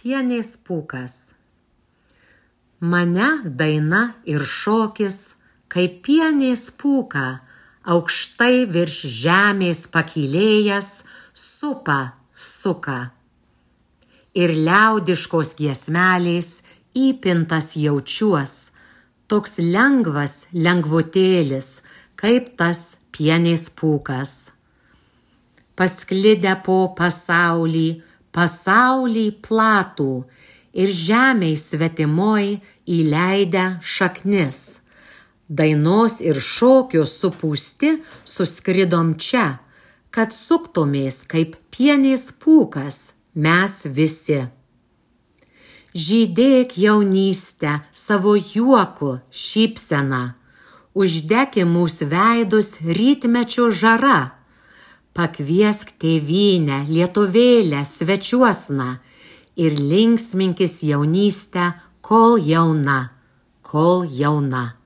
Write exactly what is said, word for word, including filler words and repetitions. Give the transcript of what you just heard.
Pienės pūkas. Mane daina ir šokis, kaip pienės pūka, aukštai virš žemės pakylėjęs, supa, suka. Ir liaudiškos giesmelės įpintas jaučiuos, toks lengvas lengvutėlis, kaip tas pienės pūkas. Pasklidę po pasaulį, pasaulį platų ir žemei svetimoj įleidę šaknis. Dainos ir šokio supūsti suskridom čia, kad suktumės kaip pienės pūkas mes visi. Žydėk jaunystę savo juoku šypsena, uždeki mūsų veidus rytmečio žara. Pakviesk tėvynę, lietuvėlę, svečiuosna ir linksminkis jaunystę, kol jauna, kol jauna.